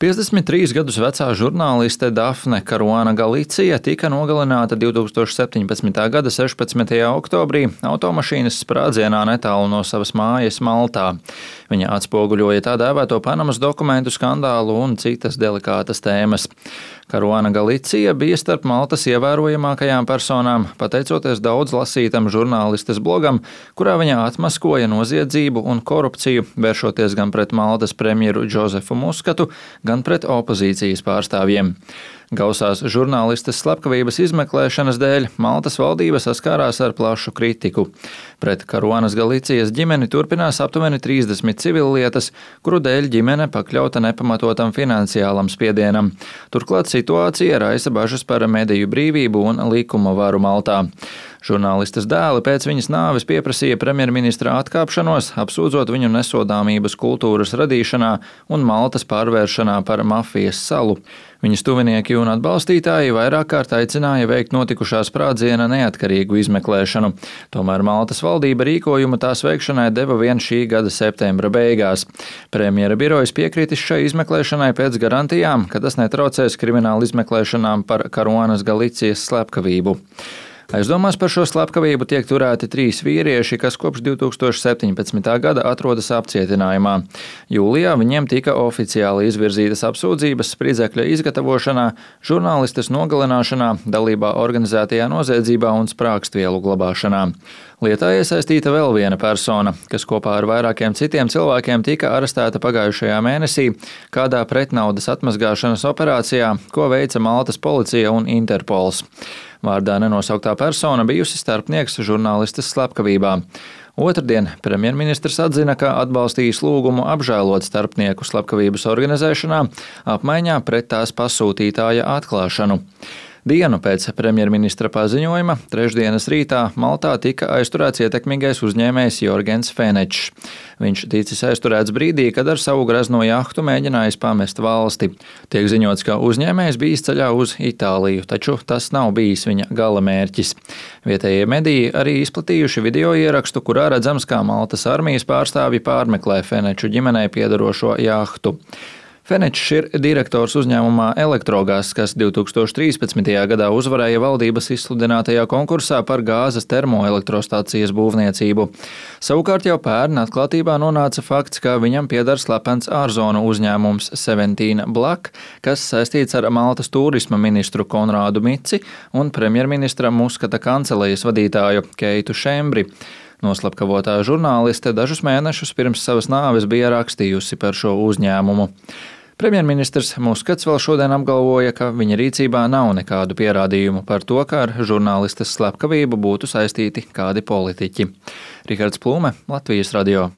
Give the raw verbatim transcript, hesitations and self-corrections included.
piecdesmit trīs gadus vecā žurnāliste Dafne Karuana Galicija tika nogalināta divtūkstoš septiņpadsmitā gada sešpadsmitajā oktobrī automašīnas sprādzienā netālu no savas mājas Maltā. Viņa atspoguļoja tā dēvēto Panamas dokumentu skandālu un citas delikātas tēmas. Karuana Galicija bija starp Maltas ievērojamākajām personām, pateicoties daudz lasītam žurnālistes blogam, kurā viņa atmaskoja noziedzību un korupciju, vēršoties gan pret Maltas premjeru Džozefu Muskatu, gan pret opozīcijas pārstāvjiem. Gausās žurnālistes slepkavības izmeklēšanas dēļ Maltas valdība saskārās ar plašu kritiku. Pret Karuanas Galicijas ģimeni turpinās aptuveni trīsdesmit civillietas, kuru dēļ ģimene pakļauta nepamatotam finansiālam spiedienam. Turklāt situācija raisa bažas par mediju brīvību un likuma varu Maltā. Žurnālistes dēli pēc viņas nāves pieprasīja premjerministra atkāpšanos, apsūdzot viņu nesodāmības kultūras radīšanā un Maltas pārvēršanā par mafijas salu. Viņas tuvinieki un atbalstītāji vairāk kārt aicināja veikt notikušā sprādziena neatkarīgu izmeklēšanu. Tomēr Maltas valdība rīkojumu tās veikšanai deva vien šī gada septembra beigās. Premjera birojas piekritis šai izmeklēšanai pēc garantijām, ka tas netraucēs krimināla izmeklēšanām par Karuanas Galicijas slepkavību. Aizdomās par šo slepkavību tiek turēti trīs vīrieši, kas kopš divtūkstoš septiņpadsmitā gada atrodas apcietinājumā. Jūlijā viņiem tika oficiāli izvirzītas apsūdzības spridzekļa izgatavošanā, žurnālistes nogalināšanā, dalībā organizētajā noziedzībā un sprākstvielu glabāšanā. Lietā iesaistīta vēl viena persona, kas kopā ar vairākiem citiem cilvēkiem tika arestēta pagājušajā mēnesī kādā pretnaudas atmazgāšanas operācijā, ko veica Maltas policija un Interpols. Vārdā nenosauktā persona bijusi starpnieks žurnālistes slepkavībā. Otrdien premjerministrs atzina, ka atbalstījis lūgumu apžēlot starpnieku slepkavības organizēšanā apmaiņā pret tās pasūtītāja atklāšanu. Dienu pēc premjerministra paziņojuma, trešdienas rītā, Maltā tika aizturēts ietekmīgais uzņēmējs Jorgens Fenečs. Viņš ticis aizturēts brīdī, kad ar savu grezno jahtu mēģinājis pamest valsti. Tiek ziņots, ka uzņēmējs bijis ceļā uz Itāliju, taču tas nav bijis viņa gala mērķis. Vietējie mediji arī izplatījuši video ierakstu, kurā redzams, kā Maltas armijas pārstāvji pārmeklē Feneču ģimenei piedarošo jahtu. Fenečs ir direktors uzņēmumā Elektrogas, kas divtūkstoš trīspadsmitajā gadā uzvarēja valdības izsludinātajā konkursā par gāzes termoelektrostācijas būvniecību. Savukārt jau pērn atklātībā nonāca fakts, ka viņam pieder slepens ārzonu uzņēmums Seventeen Black, kas saistīts ar Maltas turisma ministru Konrādu Mici un premjerministra Muskata kancelejas vadītāju Keitu Šembri. Noslepkavotā žurnāliste dažus mēnešus pirms savas nāves bija rakstījusi par šo uzņēmumu. Premjerministrs Muskats vēl šodien apgalvoja, ka viņa rīcībā nav nekādu pierādījumu par to, ka ar žurnālistes slepkavību būtu saistīti kādi politiķi. Rihards Plūme, Latvijas radio.